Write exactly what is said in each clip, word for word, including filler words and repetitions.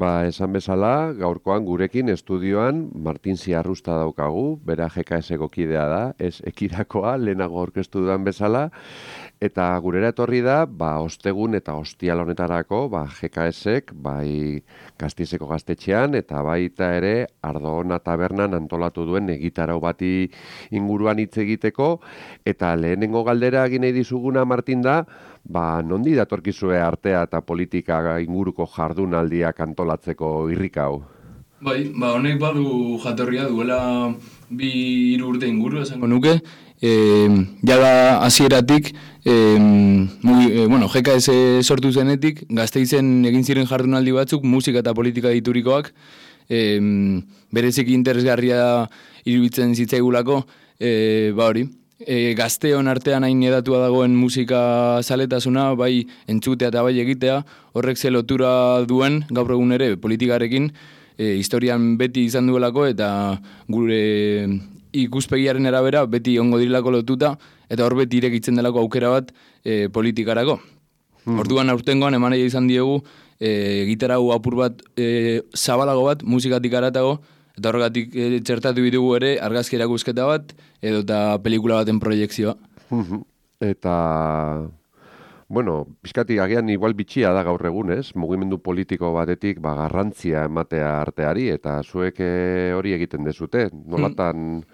Ba, esan bezala, gaurkoan gurekin estudioan Martin Ziarrusta daukagu, bera G K S-eko kidea da, ez ekirakoa, lehenago aurkeztu dudan bezala, eta gurera etorri da, ba, ostegun eta ostial honetarako, ba, G K S-ek, bai Gasteizeko gaztetxean, eta baita ere Ardoona tabernan antolatu duen egitarau bati inguruan hitz egiteko, eta lehenengo galdera egin nahi dizuguna, Martin, da, ba, nondi datorkizue artea eta politika inguruko jardunaldiak antolatzeko irrika hau? Bai, ba, honek badu jatorria duela bi hiru urte inguru esango nuke, e, jada hasieratik e, e, bueno, G K S sortu zenetik, Gasteizen egin ziren jardunaldi batzuk, musika eta politika diturikoak, e, bereziki interesgarria iruditzen zitzaigulako, e, ba hori, E, gazteon artean hain edatua dagoen musika zaletasuna, bai entzutea eta bai egitea, horrek ze lotura duen gaur egun ere politikarekin, e, historian beti izan duelako eta gure ikuspegiaren arabera beti ongo dirilako lotuta, eta hor beti irekitzen delako aukera bat e, politikarako. Hmm. Orduan aurtengoan eman izan diegu e, gitarau apur bat e, zabalago bat, musikatik aratago, eta horregatik e, txertatu bitugu ere argazki erakusketa bat edo eta pelikula baten proiekzioa. Eta, bueno, pixkati agian igual bitxia da gaur egun, ez? Mugimendu politiko batetik ba, garrantzia ematea arteari, eta zuek e, hori egiten dezute. Nolatan,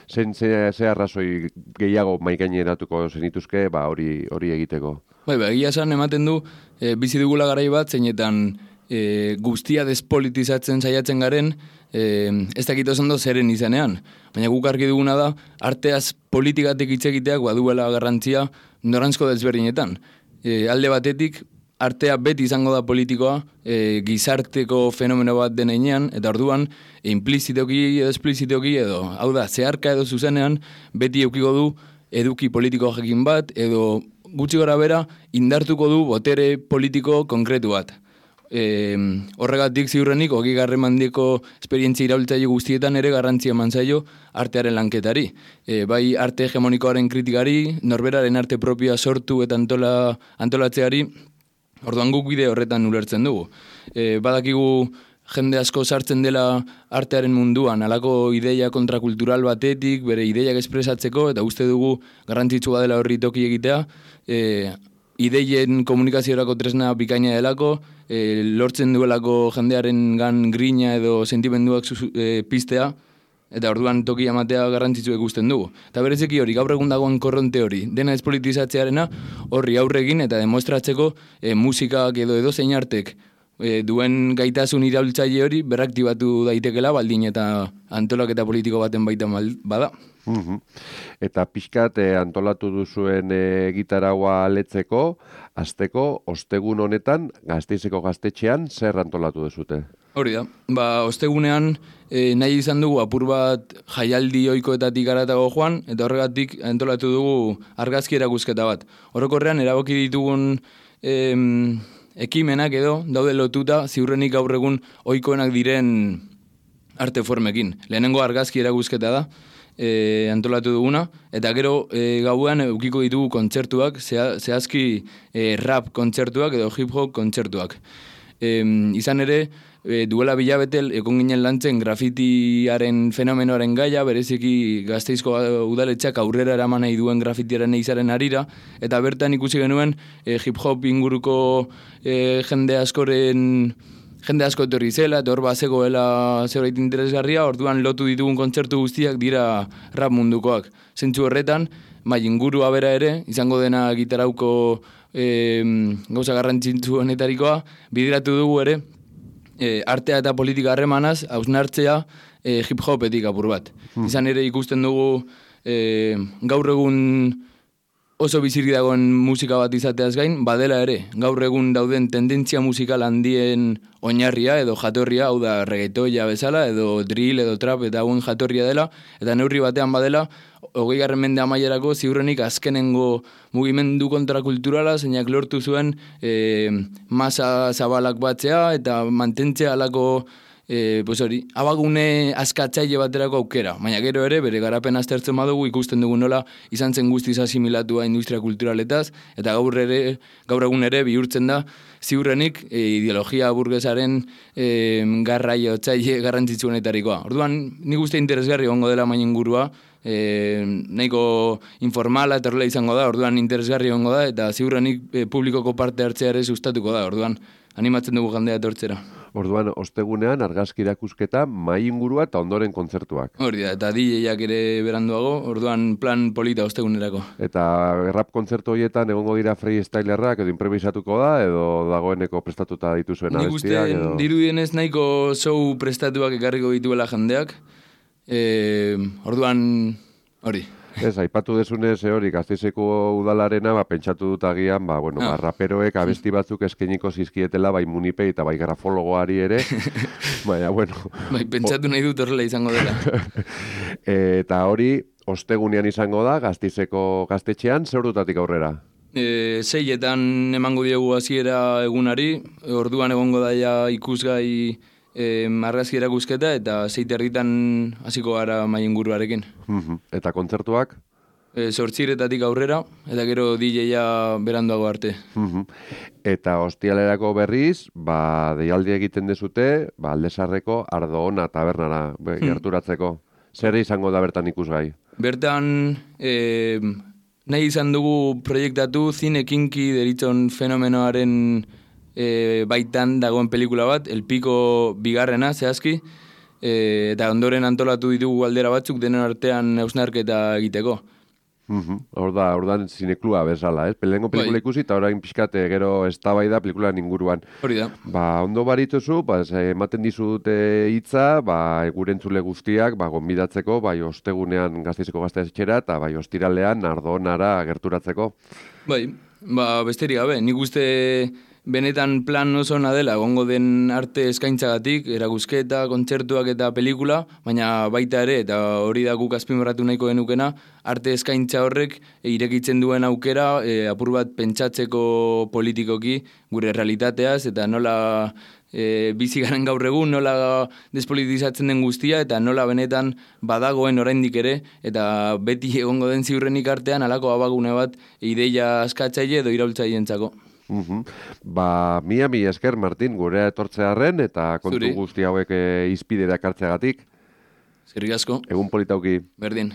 zen ze, ze arrazoi gehiago maikaineratuko zenituzke ba, hori, hori egiteko? Bai, ba, egia esan ematen du, e, bizi dugula garai bat, zeinetan e, guztia despolitizatzen saiatzen garen, E, ez dakit oso ondo zeren izanean, baina guk argi duguna da arteaz politikatik hitz egiteak baduela garrantzia noranzko desberdinetan. E, alde batetik artea beti izango da politikoa, e, gizarteko fenomeno bat denean, eta orduan e, implizitoki edo esplizitoki edo, hau da, zeharka edo zuzenean beti eukiko du eduki politiko jakin bat edo gutxi gora bera indartuko du botere politiko konkretu bat. E, horregatik ziurrenik hogi garren mandiko esperientzia iraultzaile guztietan ere garrantzia eman zaio artearen lanketari. E, bai arte hegemonikoaren kritikari, norberaren arte propioa sortu eta antola, antolatzeari, orduan guk bide horretan ulertzen dugu. E, badakigu jende asko sartzen dela artearen munduan, halako ideia kontrakultural batetik, bere ideiak espresatzeko, eta uste dugu garrantzitsua dela horri toki egitea, e, ideien komunikaziorako tresna bikaina delako, e, lortzen duelako jendearen gan grina edo sentimenduak e, piztea, eta orduan toki amatea garrantzitsu ikusten dugu. Eta bereziki hori, gaur egun dagoen korronte hori, dena despolitizatzearena horri aurregin eta demostratzeko e, musikak edo edo zein artek e, duen gaitasun iraultzaile hori berraktibatu daitekela baldin eta antolaketa politiko baten baita bada. Uhum. Eta pixkat eh, antolatu duzuen eh, gitaraua letzeko, azteko, ostegun honetan, Gasteizeko gaztetxean, zer antolatu duzute? Hori da, ba, ostegunean eh, nahi izan dugu apur bat jaialdi ohikoetatik aratago joan, eta horregatik antolatu dugu argazki erakusketa bat. Orokorrean eraboki ditugun em, ekimenak edo daude lotuta ziurrenik gaur egun ohikoenak diren arte formekin. Lehenengo argazki erakusketa da, E, antolatu duguna, eta gero e, gauean eukiko ditugu kontzertuak, zea, zehazki e, rap kontzertuak edo hip-hop kontzertuak. E, izan ere, e, duela bilabetel ekon ginen lantzen grafitiaren fenomenoaren gaia, bereziki Gasteizko udaletxak aurrera eraman nahi duen grafitiaren eizaren harira, eta bertan ikusi genuen e, hip-hop inguruko e, jende askoren Jende asko etorri zela, eta hor bazegoela zerbait interesgarria, orduan lotu ditugun kontzertu guztiak dira rap mundukoak. Zentzu horretan, bai ingurua bera ere, izango dena gitarauko e, gauza garrantzitsu honetarikoa, bideratu dugu ere, e, artea eta politika harremanaz, hausnartzea e, hip-hopetik apur bat. Hmm. Izan ere ikusten dugu e, gaur egun oso bizirik dagoen musika bat izateaz gain, badela ere, gaur egun dauden tendentzia musikal handien oinarria edo jatorria, hau da reggaetoia bezala, edo drill edo trap eta hauen jatorria dela, eta neurri batean badela, hogei garren mende amaierako ziurrenik azkenengo mugimendu kontrakulturala, zeinak lortu zuen e, masa zabalak batzea, eta mantentzea alako E, pues hori, abagune askatzaile baterako aukera, baina gero ere bere garapen aztertzen badugu ikusten dugu nola izan zen guztiz asimilatua industria kulturaletaz, eta gaur ere, gaur egun ere bihurtzen da ziurrenik e, ideologia burgesaren e, garraiotzaile garrantzitsuenetarikoa. Orduan, nik uste interesgarri egongo dela main ingurua, e, nahiko informala eta horrela izango da, orduan interesgarri egongo da, eta ziurrenik e, publikoko parte hartzea ere sustatuko da, orduan animatzen dugu jendea etortzera. Orduan, ostegunean argazki erakusketa, mai ingurua eta ondoren kontzertuak. Hori da, eta D J-ak ere beranduago, orduan plan polita ostegunerako. Eta rap kontzertu horietan egongo dira freestylerrak edo improvisatuko da, edo dagoeneko prestatuta dituzuen abestiak? Nik uste dirudienez nahiko show prestatuak ekarriko dituela jendeak. E, orduan, hori. Ez, aipatu desunez, hori, Gasteizeko udalarena, ba, pentsatu dut agian, ba, bueno, ah. ba, raperoek abesti batzuk eskeniko zizkietela, bai munipei eta bai grafologoari ere, baina, bueno. Bai, pentsatu nahi dut horrela izango dela. Eta hori, ostegunean izango da, Gasteizeko gaztetxean, zeurdutatik aurrera? E, seietan emango diegu hasiera egunari, orduan egongo daia ikusgai E, argazki erakusketa eta zeite erditan hasiko gara mai inguruarekin. Eta kontzertuak? E, Zortziretatik aurrera, eta gero D J-a beranduago arte. Eta ostialerako berriz, ba, deialdi egiten dezute, ba, Aldesarreko Ardo Ona tabernara gerturatzeko. Zer izango da bertan ikusgai? Bertan, e, nahi izan dugu proiektatu zine kinki deritzon fenomenoaren E, baitan dagoen pelikula bat, El Pico bigarrena, zehazki, e, eta ondoren antolatu ditugu galdera batzuk denen artean hausnarketa egiteko. Uh-huh. Hor da, hor da zineklua bezala, ez? Pelengo pelikula ikusi eta orain pixkate gero eztabaida pelikula inguruan. Hori da. Ba, ondo barituzu, ba, ematen dizute hitza, ba, gure entzule guztiak, ba, gonbidatzeko, bai, ostegunean Gasteizeko gaztetxera eta bai, ostiralean Ardonara gerturatzeko. Bai, ba, besterik gabe, nik uste benetan plan oso ona dela, egongo den arte eskaintzagatik, erakusketa, kontzertuak eta pelikula, baina baita ere, eta hori da guk azpimarratu nahiko genukena, arte eskaintza horrek irekitzen duen aukera, e, apur bat pentsatzeko politikoki gure realitateaz, eta nola e, bizi garen gaur egun, nola despolitizatzen den guztia, eta nola benetan badagoen oraindik ere, eta beti egongo den ziurrenik artean, halako abagune bat ideia askatzaile edo iraultzailentzako. Uhum. Ba, mia mi esker, Martin, gurea etortzearren eta kontu Zuri. Guzti hauek e, izpide dakartzeagatik. Zerrik asko. Egun politauki. Berdin.